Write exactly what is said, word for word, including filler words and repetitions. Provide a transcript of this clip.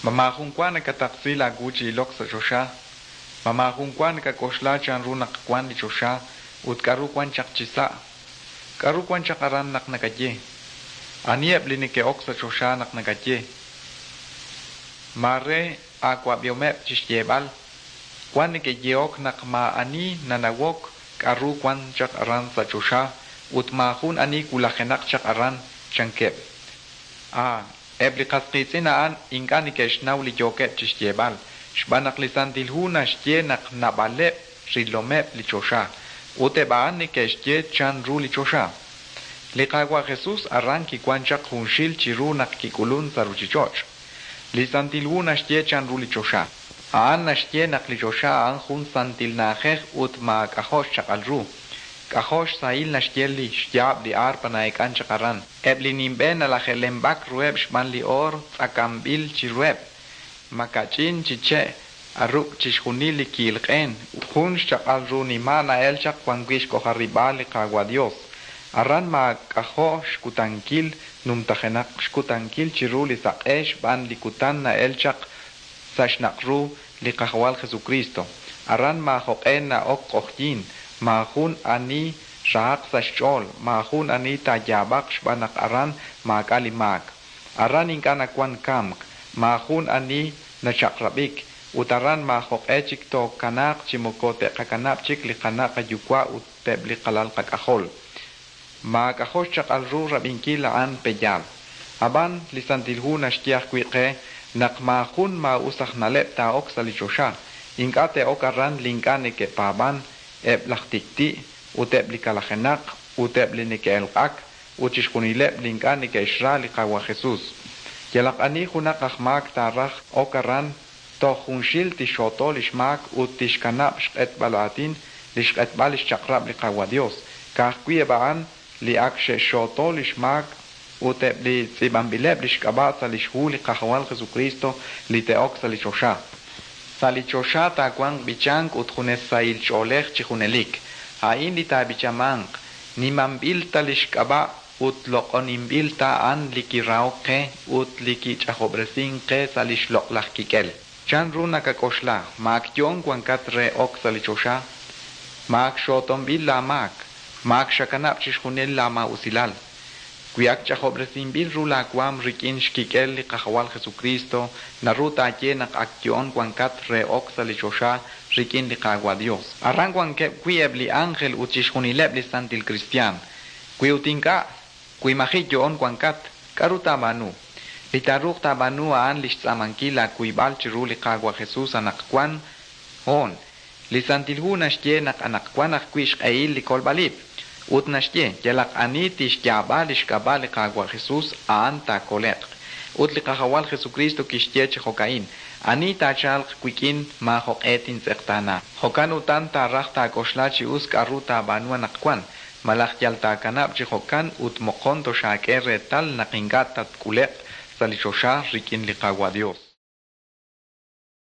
Ma maajun wa nakataqsi laawu chi ilok sa' choxa? Ma maajun wa nakak'oxla chanru naq wank li choxa ut k'aru wan chaq chisa'? K'aru wan chaq aran naq nakaye? Aniheb' li neke'ok sa' choxa naq nakaye? Maare aawab'ihomeb' chi xyeeb'al, Wan neke'yehok naq maa'ani nanawok k'aru wan chaq aran sa' choxa ut maajun ani wulajenaq chaq aran, chankeb'. Ah, eb' li qas qiitz'in a'an ink'a' neke'xnaw li yookeb' chixyeeb'al, xb'aan naq li Santil Hu naxye naq naab'aleb' rilomeb' li choxa, ut eb' a'an neke'xye chanru li choxa. Li Qaawa' Jesus aran kiwan chaq junxil chiru naq kik'ulun sa' ruchich'och'. Li Santil Hu naxye chanru li choxa. A'an naxye naq li choxa a'an jun santil na'ajej ut maak'ajo' xchaq'al ru. K'ajo' xsahil naxye li xyaab' li aarpa na'eek'an chaq aran. Eb' li nimb'e nalaje'lemb'ak ruheb' xb'aan li oor tz'akanb'il chiruheb'. Makach'in chi che' aruk' chixjunil li ki'il q'een, ut jun xchaq'al ru nima' na'el chaq wan wi' xk'ojarib'aal li Qaawa' Dios. Aran maak'ajo' xkutankil, numtajenaq xkutankil chiru li saq'e xb'aan li kutan na'el chaq sa' xnaq'ru li Qajawal Jesukristo. Aran maajoq'e na'ok q'ojyin, maajun ani rahaq sa' xch'ool, maajun ani taayaab'aq xb'aan naq aran maak'a' li maak. Aran ink'a' nawan kamk, maajun ani nachaq'rab'ik, ut aran maajo'q'e chik tookanaaq chi moko te'qakanab' chik li qana' qayuwa' ut eb' li qalal qak'ajol. Maak'ajo' xchaq'al ru rab'inkil a'an, pe'yaal? A'b'an, li Santil Hu naxye ajwi' qe naq maajun maa'us aj na'leb' taa'ok sa' li choxa. Ink'a' te'ok aran li ink'a' neke'paab'an, eb' laj tik'ti', ut eb' li kalajenaq, ut eb' li neke'elq'ak, ut chixjunileb' li ink'a' neke'xra li Qaawa' Jesus. Yalaq ani junaq aj maak taaraj ok aran, toj junxil tixxooto lix maak ut tixkanab' xq'etb'al aatin, lix q'etb'al lix chaq'rab' li Qaawa' Dios. Ka'ajwi' eb' a'an li ak xe'xxooto lix maak ut eb' li tz'iib'anb'ileb' lix k'ab'a' sa' lix hu li Qajawal Jesukristo li te'ok sa' li choxa. Sa' li choxa taawanq b'ichank ut junes sahil ch'oolej chi junelik. A'in li taab'ichamanq, Nimanb'il ta lix k'ab'a' ut loq'oninb'il ta a'an li kirahok qe ut li kich'ajob'resink qe sa' lix loq'laj kik'el. Chan ru nakak'oxla? Ma ak yo'on wankat re ok sa' li choxa? Ma ak xootonb'il laa maak? Ma ak xakanab' chixjunil laa maa'usilal? Wi ak ch'ajob'resinb'il ru laa waam rik'in xkik'el li Qajawal Jesukristo, naru taaye naq ak yo'on wankat re ok sa' li choxa rik'in li Qaawa' Dios. Aran wankeb' wi' eb' li anjel ut chixjunileb' li santil kristiaan. Wi ut ink'a', wi maji' yo'on wankat, k'a'ru taab'aanu? Li taaruuq taab'aanu a'an li xtz'aamankil aakuyb'al chiru li Qaawa' Jesus anaqwan hoon. Li Santil Hu naxye naq anaqwan ajwi' xq'ehil li kolb'al-ib'. Ut naxye, Yalaq ani tixyaab'a lix k'ab'a' li Qaawa' Jesus, a'an taakole'q. Ut li Qajawal Jesukristo kixye chi jo'ka'in, Ani taachalq wik'in, maajo'q'e tintz'eqtaana. Jo'kan utan taaraj taak'oxla chi us k'a'ru taab'aanu anaqwan, malaj yal taakanab' chi jo'kan ut moqon toxaak'e reetal naq ink'a' tatk'ule'q sa' li choxa rik'in li Qaawa' Dios.